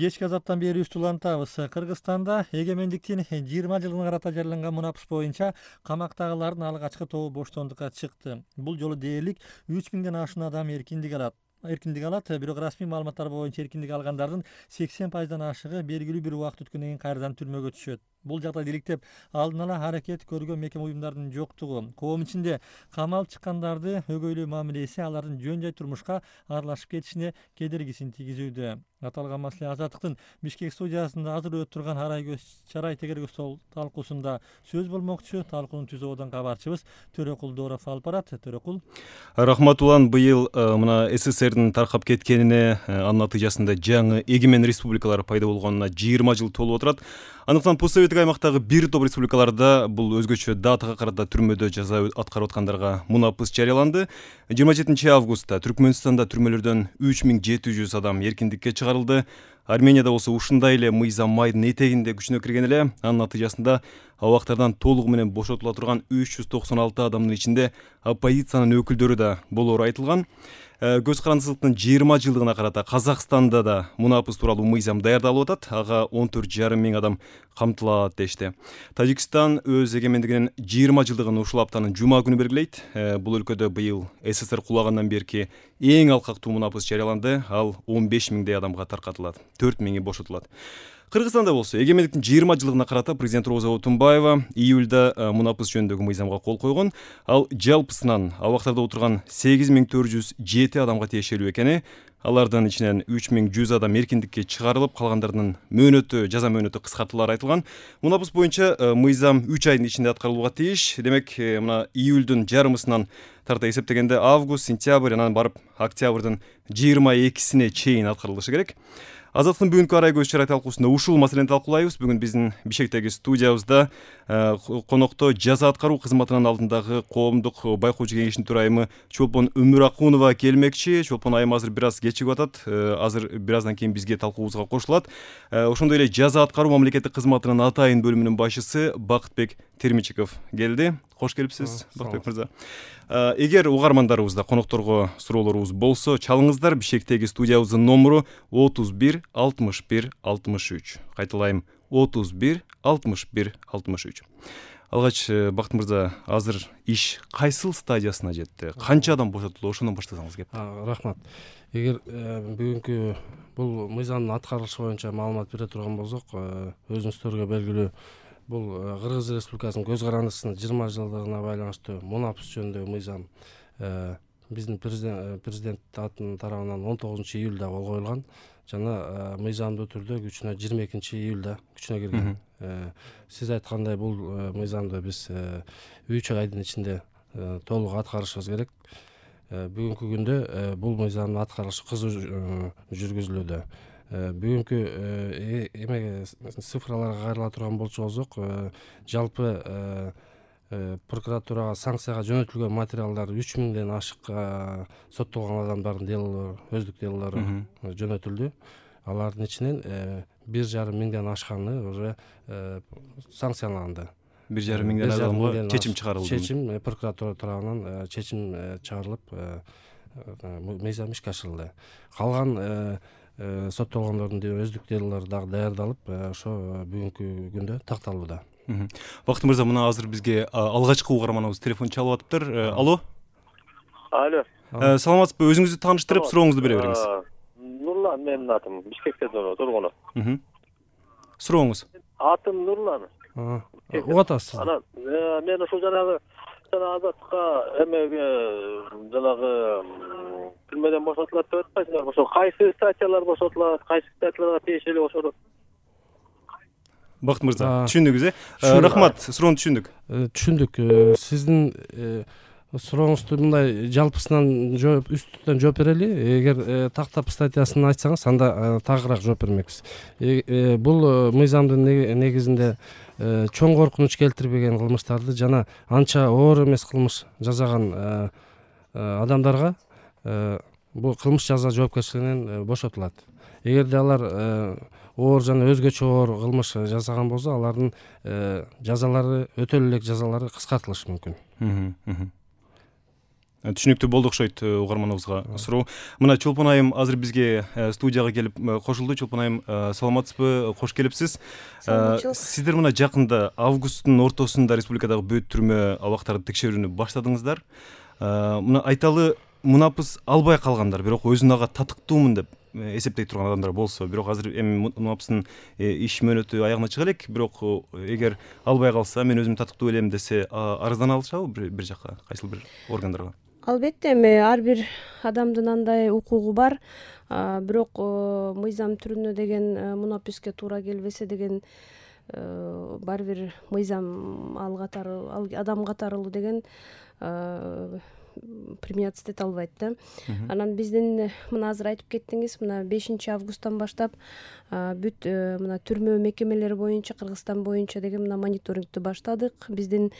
Кечки азаттан бери үстү улантабыз. Кыргызстанда эгемендиктин 20 жылына карата жарыяланган мунапыс боюнча камактагылардын алгачкы тобу боштондукка чыкты. Бул жолу дээрлик 3000ден ашуун адам эркиндик алат. Бирок расмий маалыматтар боюнча эркиндик алгандардын 80%дан ашыгы белгилүү бир убакыт өткөндөн кийин кайрадан түрмөгө түшөт. Бул жагдайды иликтеп алдын ала аракет көргөн мекеме уюмдардын жоктугу, коом ичинде камалып чыккандарды өгөйлөө мамилеси алардын жөн жай турмушка аралашып кетишине кедергисин тийгизүүдө. Аталган маселе Азаттыктын Бишкек студиясында азыр өтүп турган арай көз чарай тегерге стол талкуусунда сөз болмокчу. Талкуунун түзүүдөн кабарчыбыз Төрөкул Дооров алып барат. Төрөкул. Рахмат улан. Быйыл мына СССРдин таркап кеткенине, анын натыйжасында жаңы эгемен республикалар пайда болгонуна 20 жыл толуп отурат. Андыктан постсоветтик аймактагы бир топ республикаларда бул өзгөчө датага карата түрмөдө жаза аткарып аткандарга мунапыс жарыяланды. 27 августта Түркмөнстанда түрмөлөрдөн 3700 адам эркиндикке чыгарылды. Арменияда болсо ушундай эле мыйзам майдын этегинде күчүнө кирген эле. Анын натыйжасында абактардан толугу менен бошотула турган 396 адамдын ичинде оппозициянын өкүлдөрү да болору айтылган. Көз карандысыздыктын 20 жылдыгына карата Казакстанда да мунапыс тууралуу мыйзам даярдалып атат. Ага 14,5 миң адам камтылат дешти. Тажикстан өз эгемендигинин 20 жылдыгын ушул аптанын жума күнү белгилейт. Бул өлкөдө быйыл СССР кулагандан берки эң алкактуу мунапыс жарыяланды. Ал 15 миңдей адамга таркатылат. 4 миңи бошотулат. Кыргызстанда болсо эгемендиктин 20 жылдыгына карата президент Роза Отунбаева июлда мунапыс жөнүндөгү мыйзамга кол койгон. Ал жалпысынан абактарда отурган 8407 адамга тиешелүү экени, алардын ичинен 3100 адам эркиндикке чыгарылып, калгандардын жаза мөөнөтү кыскартылары айтылган. Мунапыс боюнча мыйзам 3 айдын ичинде аткарылууга тийиш. Демек, мына июлдун жарымысынан тарта эсептегенде август, сентябрь, анан барып октябрдын 22-сине чейин аткарылышы керек. Азаттыктын бүгүнкү арай көз чарай талкуусунда ушул маселени талкуулайбыз. Бүгүн биздин Бишкектеги студиябызда конокто жаза аткаруу кызматынын алдындагы коомдук байкоочу кеңешинин төрайымы Чолпон Өмүракунова келмекчи. Чолпон айым азыр бир аз кечигип атат. Азыр бир аздан кийин бизге талкуубузга кошулат. Ошондой эле жаза аткаруу мамлекеттик кызматынын атайын бөлүмүнүн башчысы Бакытбек Термичиков келди. Кош келипсиз, Бакытбек мырза. Эгер угармандарыбызда, конокторго суроолорубуз болсо, чалыңыздар. Бишкектеги студиябыздын номеру 31 61 63. Кайталайм, 31 61 63. Алгач, Бакыт мырза, азыр иш кайсыл стадиясына жетти? Канча адам бошотулду? Ошондон баштасаңыз кеп. Рахмат. Эгер бүгүнкү бул мыйзамдын аткарылышы боюнча маалымат бере турган болсок, өзүңүздөргө белгилүү, бул Кыргыз Республикасынын көз карандысынын 20 жылдыгына байланыштуу мунапыс жөнүндөгү мыйзам биздин президент тарабынан 19 июлда кол коюлган жана мыйзамдуу түрдө күчүнө 22 июлда күчүнө кирген. Сиз айткандай, бул мыйзамды биз 3 айдын ичинде толук аткарышыбыз керек. Бүгүнкү күндө бул мыйзамдын аткарышы кызуу жүргүзүлүүдө. Бүгүнкү цифраларга кайрыла турган болсок, жалпы прокуратурага санкцияга жөнөтүлгөн материалдар 3000ден ашык соттолгон адамдардын делолору, өздүк делолору жөнөтүлдү. Алардын ичинен 1,5 миңден ашканы уже санкцияланды. 1,5 миңден адамга чечим чыгарылды. Чечим прокуратура тарабынан чечим чыгарылып, мыйзам ишке ашырылды. Калган соттолгондордун өздүк делолору дагы даярдалып, ошо бүгүнкү күндө такталууда. Бакыт мырза, мына азыр бизге алгачкы угарманыбыз телефон чалып атыптыр. Алло. Алло. Саламатсызбы? Өзүңүздү тааныштырып, сурооңузду бере бериңиз. Нурлан менин атым. Бишкекте тургуну. Сурооңуз. Атым Нурлан. Угат атасыз. Анан мен ушул жанагы Азаттыкка эмеге жанагы түрмөдөн бошотулат деп атпайсыңарбы? Ошо кайсы статьялар бошотулат, кайсы статьяларга тиешелүү ошону? Бакыт мырза, түшүндүңүз, Рахмат, суроону түшүндүк. Түшүндүк. Сиздин сурооңузду мындай жалпысынан үстүнөн жооп берели. Эгер тактап статьясын айтсаңыз, анда тагыраак жооп бермекпиз. Бул мыйзамдын негизинде чоң коркунуч келтирбеген кылмыштарды жана анча оор эмес кылмыш жасаган адамдарга бул кылмыш жаза жоопкерчилигинен бошотулат. Эгерде алар оор жана өзгөчө оор кылмыш жасаган болсо, алардын жазалары, өтөлү элек жазалары кыскартылышы мүмкүн. Түшүнүктүү болду окшойт угарманыбызга суроо. Мына Чолпон айым азыр бизге студияга келип кошулду. Чолпон айым, саламатсызбы? Кош келипсиз. Сиздер мына жакында августтун ортосунда республикадагы бүт түрмө абактарды текшерүүнү баштадыңыздар. Мына айталы, мунапыс албай калгандар, бирок өзүн ага татыктуумун деп эсептей турган адамдар болсо, бирок азыр эми мунапыстын иш мөөнөтү аягына чыга элек, бирок эгер албай калса, мен өзүм татыктуу элем десе, арыздана алышабы бир жакка, кайсыл бир органдарга? Албетте, эми ар бир адамдын андай укугу бар, бирок мыйзам түрүнө деген мунаписке туура келбесе деген баары бир мыйзам ал адам катары деген применяться эте албайт да. Анан биздин мына азыр айтып кеттиңиз, мына 5-августтан баштап бүт мына түрмө мекемелери боюнча, Кыргызстан боюнча деген мына мониторингти баштадык. Биздин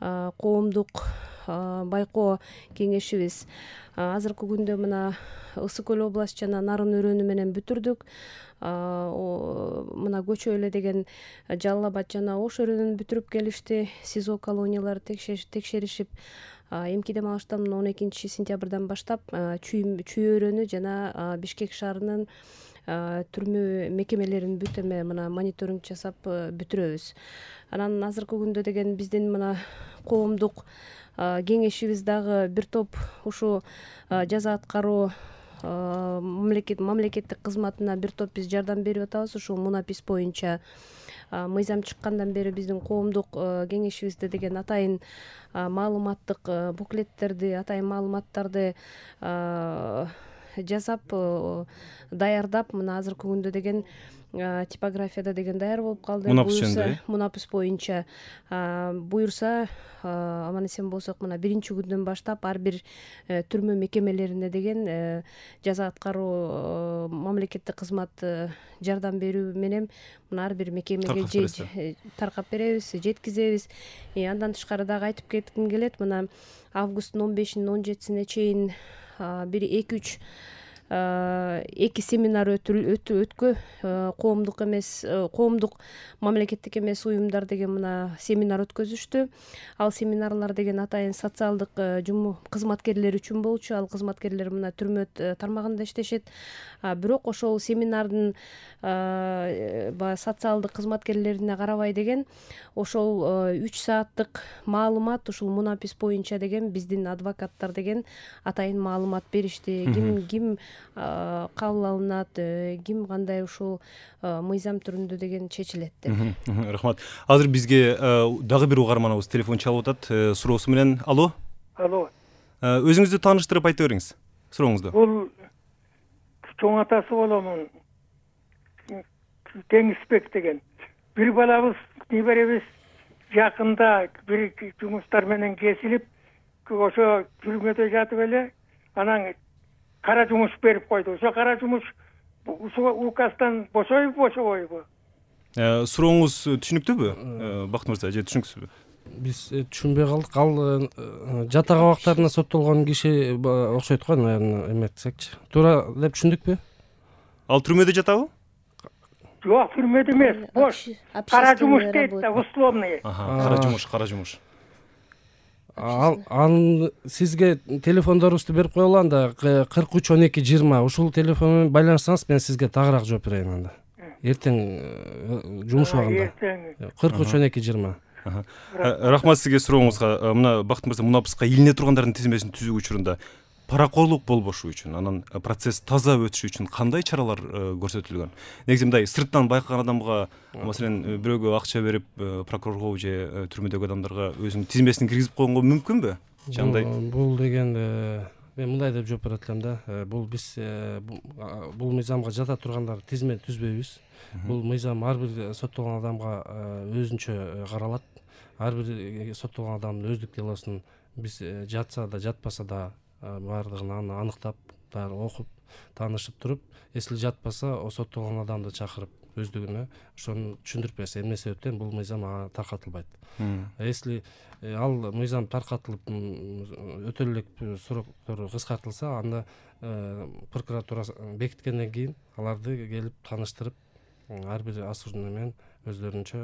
коомдук байкоо кеңешибиз азыркы күндө мына Ысык Көл область жана Нарын өрөөнү менен бүтүрдүк. Мына Көчө эле деген Жалал Абад жана Ош өрөөнүн бүтүрүп келишти. СИЗО колониялары текшеришип, эмки дем алыштан 12-сентябрдан баштап Чүй өрөөнү жана Бишкек шаарынын түрмө мекемелерин бүт эме мына мониторинг жасап бүтүрөбүз. Анан азыркы күндө деген биздин мына коомдук кеңешибиз дагы бир топ ушу жаза аткаруу мамлекеттик кызматына бир топ биз жардам берип атабыз. Ушул мунапис боюнча мыйзам чыккандан бери биздин коомдук кеңешибизде деген атайын маалыматтык буклеттерди, атайын маалыматтарды жасап, даярдап, мына азыркы күндө деген типографияда деген даяр болуп калды. Мунапис боюнча буюрса, аман эсен болсок, мына 1-күндөн баштап ар бир түрмө мекемелерине деген жаза аткаруу мамлекеттик кызмат жардам берүү менен мына ар бир мекемеге таркап беребиз, жеткизебиз. Андан тышкары дагы айтып кетким келет, мына августтун 15-17-сине чейин бир 2 семинар өткө, коомдук эмес, коомдук мамлекеттик эмес уюмдар деген мына семинар өткөзүштү. Ал семинарлар деген атайын социалдык кызматкерлер үчүн болчу. Ал кызматкерлер мына түрмө тармагында иштешет. Бирок ошол семинардын социалдык кызматкерлерине карабай деген ошол 3 сааттык маалымат ушул мунапис боюнча деген биздин адвокаттар деген атайын маалымат беришти. Ким кабыл алынат, ким кандай ушул мыйзам түрүндө деген чечилет деп. Рахмат. Азыр бизге дагы бир угарманыбыз телефон чалып атат суроосу менен. Алло. Өзүңүздү тааныштырып айта бериңиз сурооңузду. Бул чоң атасы боломун, Теңизбек деген. Бир балабыз, неберебиз жакында бир жумуштар менен кесилип, ошо түрмөдө жатып эле, анан кара жумуш берип койду. Ошо кара жумуш указдан бошобойбу? Сурооңуз түшүнүктүүбү, Бакыт мырза, же түшүнүксүзбү? Биз түшүнбөй калдык. Ал жатак абактарына соттолгон киши окшойт го, наверное, эметсекчи. Туура деп түшүндүкпү? Ал түрмөдө жатабы? Жок, түрмөдө эмес, бош. Кара жумуш дейт да, условный. Кара жумуш. Анын сизге телефондорубузду берип коелу, анда 43-12-20 ушул телефон менен байланышсаңыз, мен сизге тагыраак жооп берейин анда. Эртең жумуш убагында. 43-12-20. Рахмат сизге сурооңузга. Мына Бакыт мырза, мунапыска илине тургандардын тизмесин түзүү учурунда паракорлук болбошу үчүн, анан процесс таза өтүшү үчүн кандай чаралар көрсөтүлгөн? Негизи мындай сырттан байкаган адамга, маселен, бирөөгө акча берип, прокурорго же түрмөдөгү адамдарга өзүнүн тизмесин киргизип койгонго мүмкүнбү? Бул деген мен мындай деп жооп берет элем да. Бул биз бул мыйзамга жата тургандар тизме түзбөйбүз. Бул мыйзам ар бир соттолгон адамга өзүнчө каралат. Ар бир соттолгон адамдын өздүк делосун биз жатса да, жатпаса да баардыгын аныктап, окуп, таанышып туруп, если жатпаса, соттолгон адамды чакырып өздүгүнө ошону түшүндүрүп берсе, эмне себептен бул мыйзам таркатылбайт. Если ал мыйзам таркатылып, өтө элек сроктору кыскартылса, анда прокуратура бекиткенден кийин аларды келип тааныштырып, ар бир осужденный менен өздөрүнчө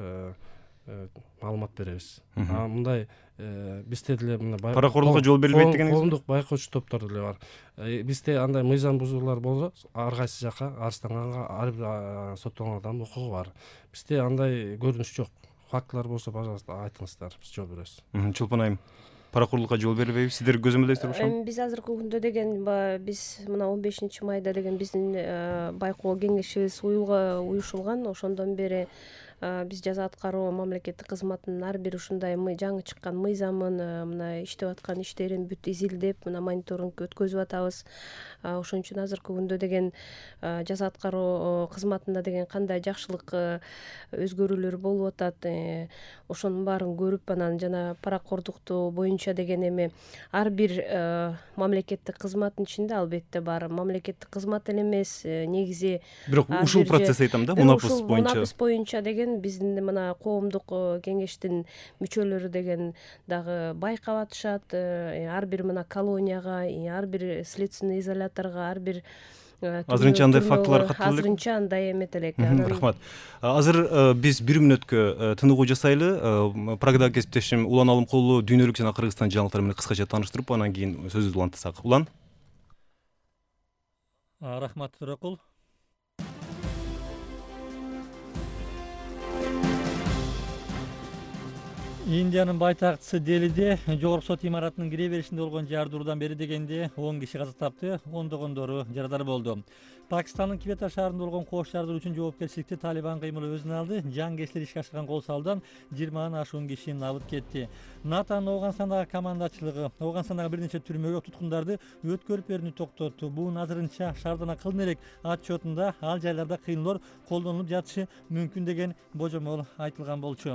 маалымат беребиз. Мындай бизде деле мына паракорлукка жол берилбейт дегениңиз? Коомдук байкоочу топтор деле бар. Бизде андай мыйзам бузуулар болсо ар кайсы жакка арызданганга ар бир соттолгон адамдын укугу бар. Бизде андай көрүнүш жок. Фактылар болсо, пожалуйста, айтыңыздар, биз жооп беребиз. Чолпон айым, паракорлукка жол берилбейби? Сиздер көзөмөлдөйсүздөр ошону? Биз азыркы күндө деген биз мына 15-майда деген биздин байкоо кеңешибиз уюшулган. Ошондон бери биз жаза аткаруу мамлекеттик кызматынын ар бир ушундай жаңы чыккан мыйзамын мына иштеп аткан иштерин бүт изилдеп мына мониторинг өткөзүп атабыз. Ошон үчүн азыркы күндө деген жаза аткаруу кызматында деген кандай жакшылык өзгөрүүлөр болуп атат, ошонун баарын көрүп анан жана паракордукту боюнча деген эми ар бир мамлекеттик кызматтын ичинде албетте бар. Мамлекеттик кызмат эле эмес, негизи бирок ушул процесс айтам да, мунапыс боюнча. Мунапыс боюнча деген биздин мына коомдук кеңештин мүчөлөрү деген дагы байкап атышат. Ар бир мына колонияга, ар бир следственный изоляторго, ар бир азырынча андай фактылар катталып элек? Азырынча андай эмет элек. Рахмат. Азыр биз 1 мүнөткө тыныгуу жасайлы. Программада кесиптешим Улан Алымкулу дүйнөлүк жана Кыргызстан жаңылыктары менен кыскача тааныштырып, анан кийин сөзүбүздү улантсак. Улан? Рахмат, Төрөкул. Индиянын байтакчысы Делиде жогорку сот имаратынын кире беришинде болгон жардыруудан бери дегенде 10 киши каза тапты, ондогондору жарадар болду. Пакистандын Квета шаарында болгон кош жардыруу үчүн жоопкерчиликти Талибан кыймылы өзүнө алды. Жангесчилер ишке ашырган кол салуудан 20 ашуун киши набыт кетти. НАТОнун Ооганстандагы командачылыгы Ооганстандагы бир нече түрмөгө туткундарды өткөрүп берүүнү токтотту. Бул азырынча шаардан акылын элек отчетунда ал жайларда кыйноолор колдонулуп жатышы мүмкүн деген божомол айтылган болчу.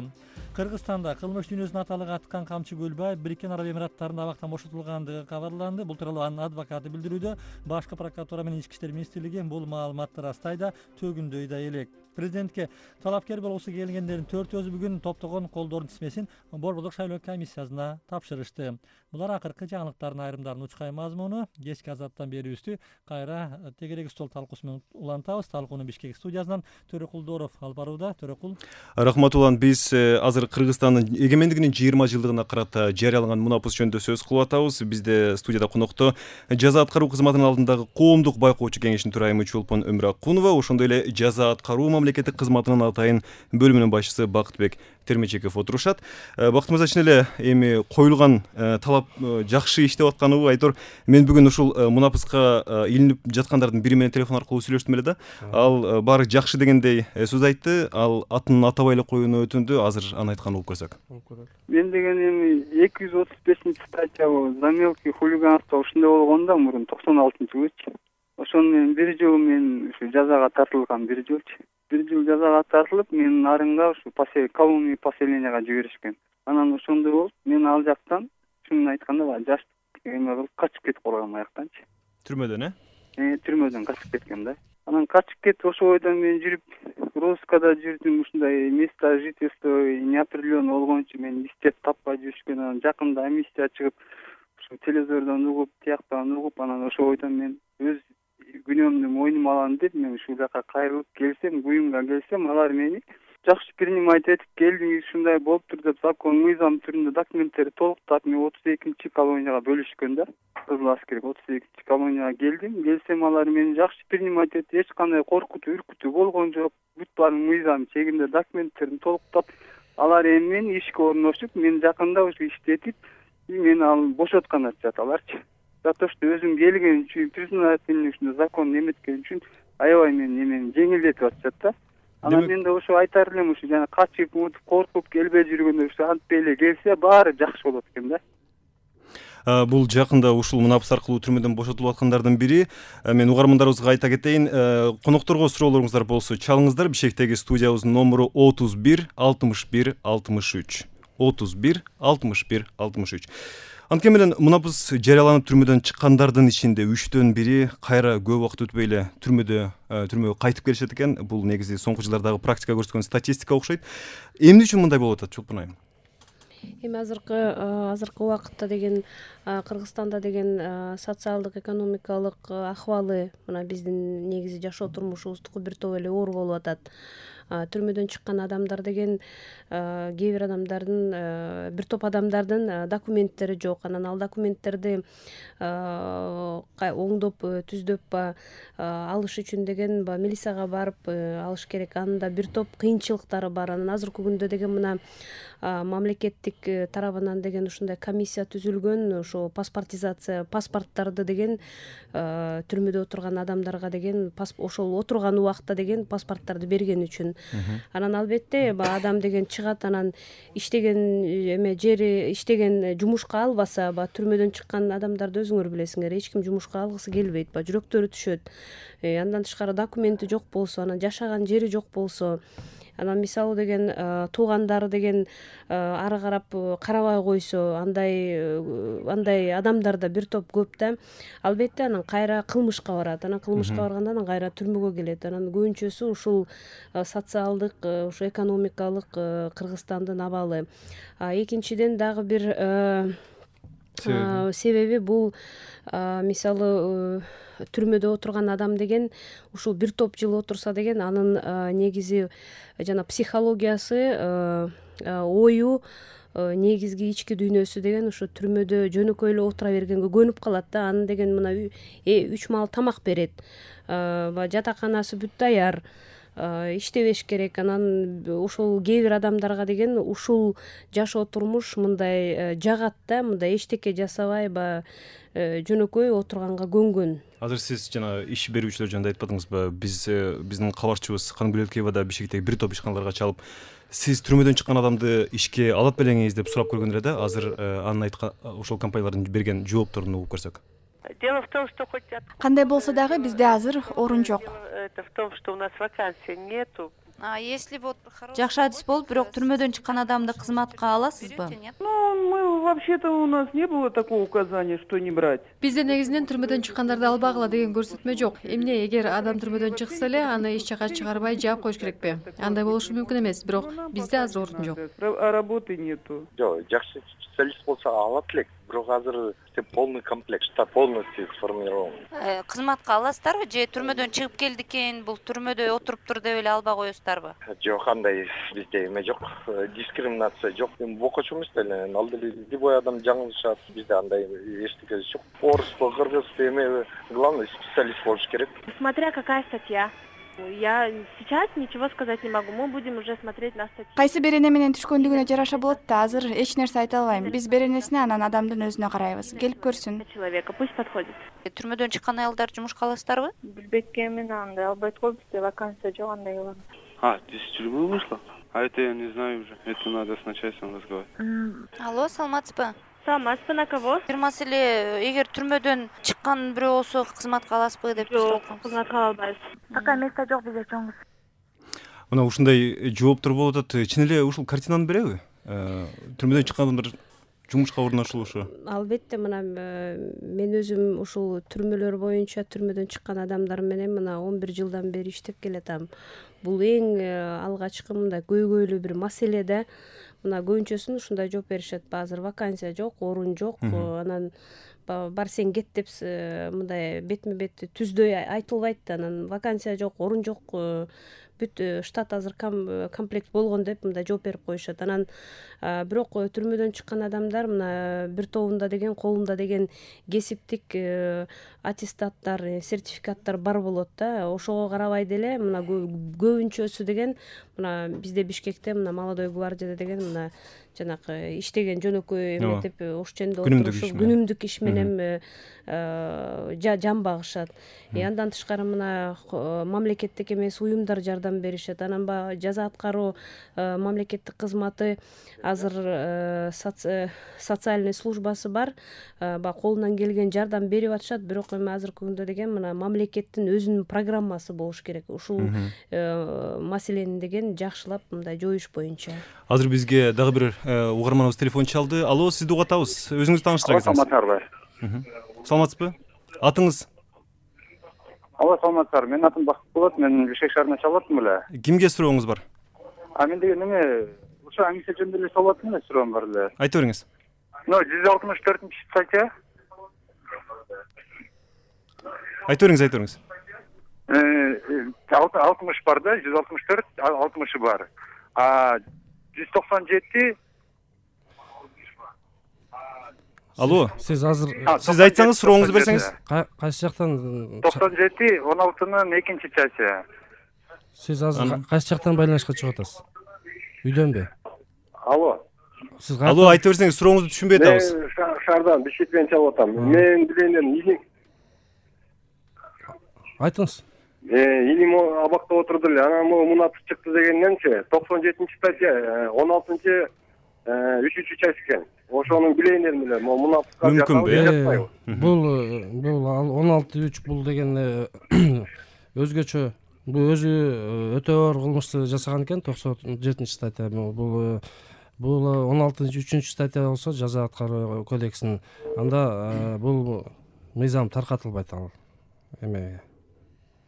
Кыргызстанда кылмыш дүйнөсүнө аталык аткан Камчы Көлбаев Бириккен Араб Эмираттарында абактан бошотулгандыгы кабарланды. Бул тууралуу анын адвокаты билдирүүдө. Башкы прокуратура менен Ички иштер министрлиги бул маалыматты ырастайда, төгүндөй да элек. Президентке талапкер болгусу келгендердин 4-өзү бүгүн топтогон колдордун тизмесин Борбордук шайлоо комиссиясына тапшырышты. Булар акыркы жаңылыктардын айрымдарын учкай мазмуну. Кечки азаттан берүүбүздү кайра тегерек стол талкуусу менен улантабыз. Талкууну Бишкек студиясынан Төрөкул Дооров алып барууда. Төрөкул. Рахмат Улан, биз азыр Кыргызстандын эгемендигинин 20 жылдыгына карата жарыялаган мунапыс жөнүндө сөз кылып атабыз. Бизде студияда конокто жаза аткаруу кызматынын алдындагы коомдук байкоочу кеңештин төрайымы Чолпон Өмүракунова, ошондой эле жаза аткаруу мамлекеттик кызматынын атайын бөлүмүнүн башчысы Бакытбек Термечеков отурушат. Бактымыз чын эле эми коюлган талап жакшы иштеп атканыбы айтор. Мен бүгүн ушул мунапыска илинип жаткандардын бири менен телефон аркылуу сүйлөштүм эле да. Ал баары жакшы дегендей сөз айтты. Ал атын атабай эле коюуну өтүндү. Азыр аны айтканын угуп көрсөк. Мен деген эми 235-статья за мелкий хулиганство ушундай болгон да мурун 96-жылычы. Ошону менен бир жыл мен ушу жазага тартылган, бир жыл жазага тартылып, менин арыңга ушу колония поселенияга жиберишкен. Анан ошондой болуп, мен ал жактан чынын айтканда баягы жаш эме кылып качып кетип калгам аяктанчы. Түрмөдөн, Түрмөдөн качып кеткем да. Анан качып кетип ошол бойдон мен жүрүп, Роскада жүрдүм, ушундай место жительства неопределенный болгон үчүн мен иштеп таппай жүрүшкөн. Анан жакында амнистия чыгып, ушу телевизордон угуп, тияктан угуп, анан ошол бойдон мен өз күнөөмдү мойнума алам деп мен ушул жака кайрылып келсем, буюмга келсем, алар мени жакшы принимать этип келди, ушундай болуптур деп закон мыйзам түрүндө документтерди толуктап, мен 32-чи колонияга бөлүшкөн да. Кызыл аскерге 32-чи колонияга келсем, алар мени жакшы принимать этип, эч кандай коркутуу, үркүтүү болгон жок. Бүт баарын мыйзам чегинде документтерин толуктап, алар эми мени ишке орношуп, мен жакында ушу иштетип, мени ал бошоткан атышат аларчы. За то, что өзүм келген үчүн, признательный ушундай закон эметкен үчүн аябай мени жеңилдетип атышат да. Анан мен да ошо айтар элем, ушу жана качып, коркуп келбей жүргөндө ушу антпей эле келсе, баары жакшы болот экен да. Бул жакында ушул мунапыс аркылуу түрмөдөн бошотулуп аткандардын бири. Мен угармандарыбызга айта кетейин, конокторго суроолоруңуздар болсо чалыңыздар. Бишкектеги студиябыздын номуру 31 61 63. 31 61 63. Анткени менен мунапыс жарыяланып түрмөдөн чыккандардын ичинде 3төн бири кайра көп убакыт өтпөй эле түрмөгө кайтып келишет экен. Бул негизи соңку жылдардагы практика көрсөткөн статистика окшойт. Эмне үчүн мындай болуп атат, Чолпон айым? Эми азыркы убакытта деген Кыргызстанда деген социалдык экономикалык акыбалы мына биздин негизи жашоо турмушубуздуку бир топ эле оор болуп атат. Түрмөдөн чыккан адамдар деген кээ бир адамдардын бир топ адамдардын документтери жок. Анан ал документтерди оңдоп түздөп алыш үчүн деген милицияга барып алыш керек. Анын да бир топ кыйынчылыктары бар. Анан азыркы күндө деген мына мамлекеттик тарабынан деген ушундай комиссия түзүлгөн. Ошо паспорттарды деген түрмөдө отурган адамдарга деген ошол отурган убакта деген паспорттарды берген үчүн. Анан албетте адам деген чыгат, анан иштеген жери иштеген жумушка албаса, түрмөдөн чыккан адамдарды өзүңөр билесиңер, эч ким жумушка алгысы келбейт, жүрөктөрү түшөт. Андан тышкары документи жок болсо, анан жашаган жери жок болсо, анан мисалы деген туугандары деген ары карап карабай койсо, андай адамдар да бир топ көп да. Албетте анан кайра кылмышка барат. Анан кылмышка барганда анан кайра түрмөгө келет. Анан көбүнчөсү ушул социалдык, ушу экономикалык Кыргызстандын абалы. Экинчиден дагы бир себеби бул мисалы түрмөдө отурган адам деген ушул бир топ жыл отурса деген анын негизи жана психологиясы, ою, негизги ички дүйнөсү деген ушу түрмөдө жөнөкөй эле отура бергенге көнүп калат да. Анын деген мына 3 маал тамак берет, жатаканасы бүт даяр, иштебеш керек. Анан ошол кээ бир адамдарга деген ушул жашоо турмуш мындай жагат да, мындай эчтеке жасабай жөнөкөй отурганга көнгөн. Азыр сиз жана иш берүүчүлөр жөнүндө айтпадыңызбы? Биздин кабарчыбыз Канбүлөткеева да Бишкектеги бир топ ишканаларга чалып, сиз түрмөдөн чыккан адамды ишке алат белеңиз деп сурап көргөн эле да. Азыр анын айткан ошол компаниялардын берген жоопторун угуп көрсөк. Дело в том, что хотят... Кандай болсо дагы бизде азыр орун жок. Это в том, что у нас вакансий нету. Жакшы адис болуп, бирок түрмөдөн чыккан адамды кызматка аласызбы? Мы вообще-то у нас не было такого указания, что не брать. Бизде негизинен түрмөдөн чыккандарды албагыла деген көрсөтмө жок. Эмне, эгер адам түрмөдөн чыкса эле, аны эч жака чыгарбай жаап коюш керекпи? Андай болушу мүмкүн эмес, бирок бизде азыр орун жок. А работы нету. Жок, жакшы специалист болсо алат элек, бирок азыр полный комплект, штат полностью сформирован. Кызматка аласыздарбы же түрмөдөн чыгып келди экен, бул түрмөдө отуруптур деп эле албай коесуздарбы? Жок, андай бизде эме жок, дискриминация жок. Эми бокочу эмес деле, ал деле любой адам жаңылышат, бизде андай эчтеке жок. Оруспу, кыргызбы, эме, главное специалист болуш керек. Смотря какая статья. Я сейчас ничего сказать не могу. Мы будем уже смотреть на статью. Кайсы берене менен түшкөндүгүнө жараша болот да, азыр эч нерсе айта албайм. Биз беренесине анан адамдын өзүнө карайбыз. Келип көрсүн. Человека, пусть подходит. Түрмөдөн чыккан аялдар жумушка аласыздарбы? Билбекке мен андай албайт го, бизде вакансия жок, андай кылам. Здесь тюрьмы вышла? А это я не знаю уже. Это надо с начальством разговаривать. Алло, саламатсызбы? Саламатсызбы, на кого? Бир маселе, эгер түрмөдөн чыккан бирөө болсо кызматка аласызбы деп сурап атам. Жок, кызматка албайбыз. Такая место жок бизде чоңуз. Мына ушундай жооптор болуп атат. Чын эле ушул картинаны береби? Түрмөдөн чыккан адамдар жумушка орношулушу. Албетте, мына мен өзүм ушул түрмөлөр боюнча түрмөдөн чыккан адамдар менен мына 11 жылдан бери иштеп келатам. Бул эң алгачкы мындай көйгөйлүү бир маселе да. Мына көбүнчөсүн ушундай жооп беришет. Азыр вакансия жок, орун жок, анан бар сен кет деп мындай бетме бет түздөй айтылбайт да. Анан вакансия жок, орун жок, бүт штат азыр комплект болгон деп мындай жооп берип коюшат. Анан бирок түрмөдөн чыккан адамдар мына бир тобунда деген колунда деген кесиптик аттестаттар, сертификаттар бар болот да. Ошого карабай деле мына көбүнчөсү деген мына бизде Бишкекте мына Молодой гвардияда деген мына жанакы иштеген жөнөкөй эметип ош ченде отурушуп күнүмдүк иш менен жан багышат. Андан тышкары мына мамлекеттик эмес уюмдар жардам беришет. Анан жаза аткаруу мамлекеттик кызматы азыр социальный службасы бар. Колунан келген жардам берип атышат, бирок эми азыркы күндө деген мына мамлекеттин өзүнүн программасы болуш керек. Ушул маселени деген жакшылап мындай жоюш боюнча. Азыр бизге дагы бир угарманыбыз телефон чалды. Алло, сизди угуп атабыз. Өзүңүздү тааныштыра кетсеңиз. Саламатсыздарбы? Саламатсызбы? Атыңыз? Алло, саламатсыздар. Менин атым Бакыт болот. Мен Бишкек шаарынан чалып аттым эле. Кимге сурооңуз бар? Мен деген эме ошо эмиссия жөнүндө эле салат менен суроом бар эле. Айта бериңиз. 164 статья. Айта бериңиз. 60 бар да, 164, 60 бар. 197. Алло. Сиз азыр Сиз айтсаңыз, сурооңузду берсеңиз. Кайсы жактан? 97, 16-нын 2-чи части. Сиз азыр кайсы жактан байланышка чыгып атасыз? Үйдөнбү? Алло. Алло, айта берсеңиз, сурооңузду түшүнбөй атабыз. Шаардан Бишкектен чалып атам. Мен билейин айтыңыз. Илим абакта отурду эле. Анан мунапс чыкты дегенденчи 97-чи статья, 16-чы 3-чү часть экен. Ошонун билейиндерин эле мунапска мүмкүнбү? Бул 16-3 бул деген өзгөчө. Бул өзү өтө оор кылмышты жасаган экен, 97-чи статья. Бул 16-3 статья болсо жаза аткаруу кодексинин. Анда бул мыйзам таркатылбайт ал эмеге.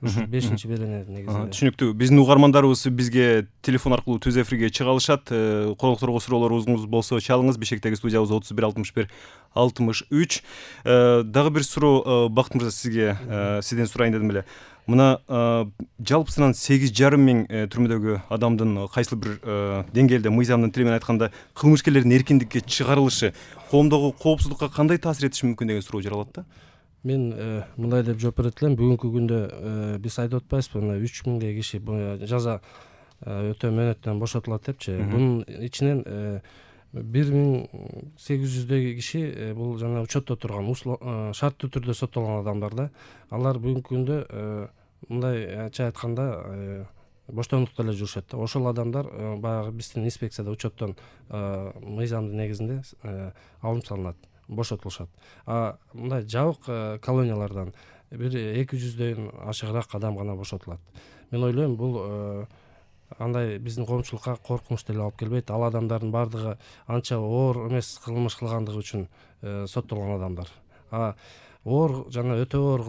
Ушу 5-чи беренеги негизинде. Түшүнүктүү. Биздин угармандарыбыз бизге телефон аркылуу түз эфирге чыга алышат. Конокторго суроолоруңуз болсо чалыңыз. Бишкектеги студиябыз 31-61-63. Дагы бир суроо, Бакыт мырза, сизден сурайын дедим эле. Мына жалпысынан 8,5 миң түрмөдөгү адамдын кайсыл бир деңгээлде, мыйзамдын тили менен айтканда, кылмышкерлердин эркиндикке чыгарылышы коомдогу коопсуздукка кандай таасир этиши мүмкүн деген суроо жаралат да. Мен мындай деп жооп берет элем. Бүгүнкү күндө биз айтып атпайбызбы, мына 3000 киши жаза өтөө мөөнөтүнөн бошотулат депчи. Бунун ичинен 1800 киши бул жана учетто турган, шарттуу түрдө соттолгон адамдар да. Алар бүгүнкү күндө мындайча айтканда боштондукта эле жүрүшөт да. Ошол адамдар баягы биздин инспекцияда учеттон мыйзамдын негизинде алым салынат, бошотулушат. Мындай жабык колониялардан бир 200дөн ашыгыраак адам гана бошотулат. Мен ойлойм, бул андай биздин коомчулукка коркунуч деле алып келбейт. Ал адамдардын бардыгы анча оор эмес кылмыш кылгандыгы үчүн соттолгон адамдар. Оор жана өтө оор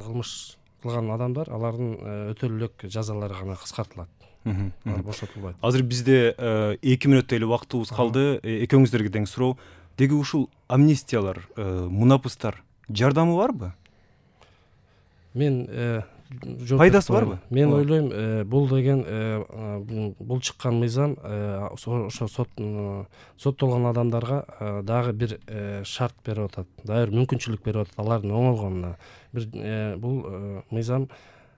кылмыш кылган адамдар, алардын өтөлүлүк жазалары гана кыскартылат. Бошотулбайт. Азыр бизде 2 мүнөттөй эле убактыбыз калды. Экөөңүздөргө тең суроо. Деги ушул амнистиялар, мунапыстар жардамы барбы? Мен пайдасы барбы? Мен ойлойм, бул деген бул чыккан мыйзам ошо соттолгон адамдарга дагы бир шарт берип атат, дагы бир мүмкүнчүлүк берип атат алардын оңолгонуна. Бул мыйзам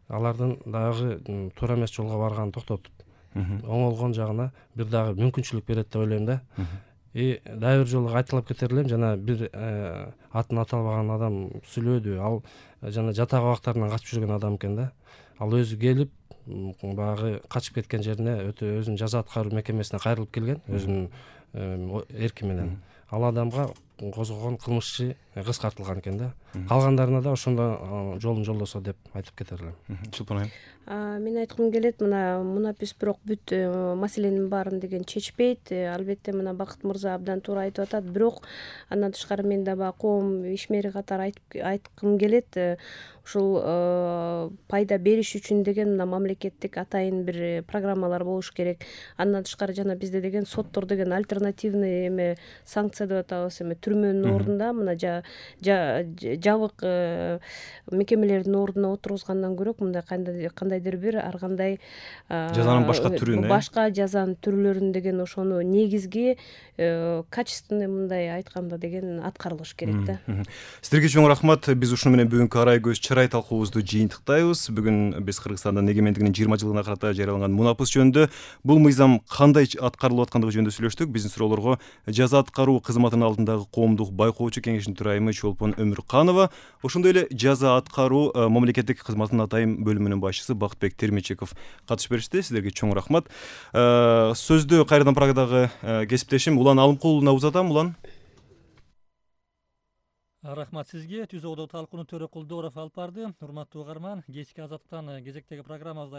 алардын дагы туура эмес жолго барганын токтотуп, оңолгон жагына бир дагы мүмкүнчүлүк берет деп ойлойм да. Дагы бир жолу кайталап кетер элем, жана бир атын аталбаган адам сүйлөдү. Ал жана жатак абактарынан качып жүргөн адам экен да. Ал өзү келип, баягы качып кеткен жерине өзүнүн жаза аткаруу мекемесине кайрылып келген, өзүнүн эрки менен. Ал адамга козгогон кылмыш иши кыскартылган экен да. Калгандарына да ошондо жолун жолдосо деп айтып кетер элем. Чулпан айым. Мен айткым келет, мына мунапис бирок бүт маселенин баарын деген чечпейт. Албетте мына Бакыт мырза абдан туура айтып атат. Бирок андан тышкары мен да баягы коом ишмери катары айткым келет. Ушул пайда бериш үчүн деген мына мамлекеттик атайын бир программалар болуш керек. Андан тышкары жана бизде деген соттор деген альтернативный эме санкция деп атабыз, эме түрмөнүн ордунда мына жабык мекемелердин ордуна отургузгандан көрө мындай кандайдыр бир ар кандай жазанын башка түрүн, башка жазанын түрлөрүн деген ошону негизги качественный мындай айтканда деген аткарылыш керек да. Сиздерге чоң рахмат. Биз ушуну менен бүгүнкү арай көз чырай талкуубузду жыйынтыктайбыз. Бүгүн биз Кыргызстандын эгемендигинин 20 жылына карата жарыяланган мунапыс жөнүндө, бул мыйзам кандай аткарылып аткандыгы жөнүндө сүйлөштүк. Биздин суроолорго жаза аткаруу кызматынын алдындагы коомдук байкоочу кеңешинин төрайымы Чолпон Өмүрканова, ошондой эле жаза аткаруу мамлекеттик кызматынын атайын бөлүмүнүн башчысы Бактыбек Термечеков катышып беришти. Сиздерге чоң рахмат. Сөздү кайрадан Прагадагы кесиптешим Улан Алымкуловна узатам. Улан. Рахмат сизге. Түз одо талкууну Төрөкул Дооров алып барды. Урматтуу угарман, кечки азаттыктан кезектеги программабызда